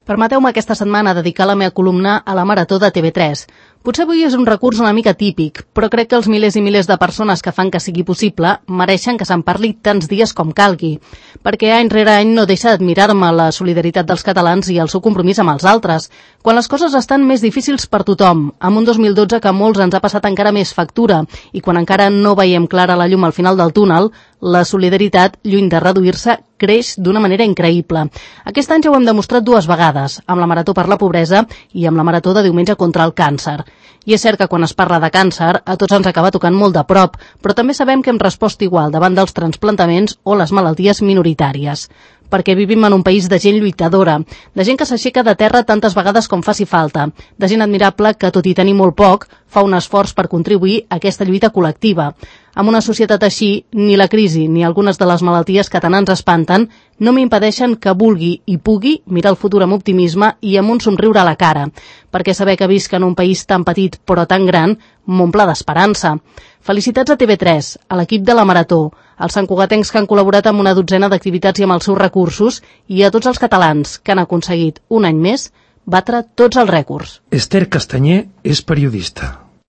Permeteu-me aquesta setmana dedicar la meva columna a la Marató de TV3. Potser avui és un recurs una mica típic, però crec que els milers i milers de persones que fan que sigui possible mereixen que se'n parli tants dies com calgui, perquè any rere any no deixa d'admirar-me la solidaritat dels catalans i el seu compromís amb els altres, quan les coses estan més difícils per tothom, amb un 2012 que a molts ens ha passat encara més factura, i quan encara no veiem clara la llum al final del túnel, la solidaritat, lluny de reduir-se, creix d'una manera increïble. Aquest any ja ho hem demostrat dues vegades, amb la Marató per la Pobresa i amb la Marató de diumenge contra el càncer. I és cert que quan es parla de càncer, a tots ens acaba tocant molt de prop, però també sabem que hem respost igual davant dels transplantaments o les malalties minoritàries. Perquè vivim en un país de gent lluitadora, de gent que s'aixeca de terra tantes vegades com faci falta, de gent admirable que, tot i tenir molt poc, fa un esforç per contribuir a aquesta lluita col·lectiva. Amb una societat així, ni la crisi ni algunes de les malalties que tant ens espanten no m'impedeixen que vulgui i pugui mirar el futur amb optimisme i amb un somriure a la cara, perquè saber que visc en un país tan petit però tan gran m'omple d'esperança. Felicitats a TV3, a l'equip de la Marató, als santcugatencs que han col·laborat amb una dotzena d'activitats i amb els seus recursos, i a tots els catalans que han aconseguit, un any més, batre tots els rècords. Esther Castanyer és periodista.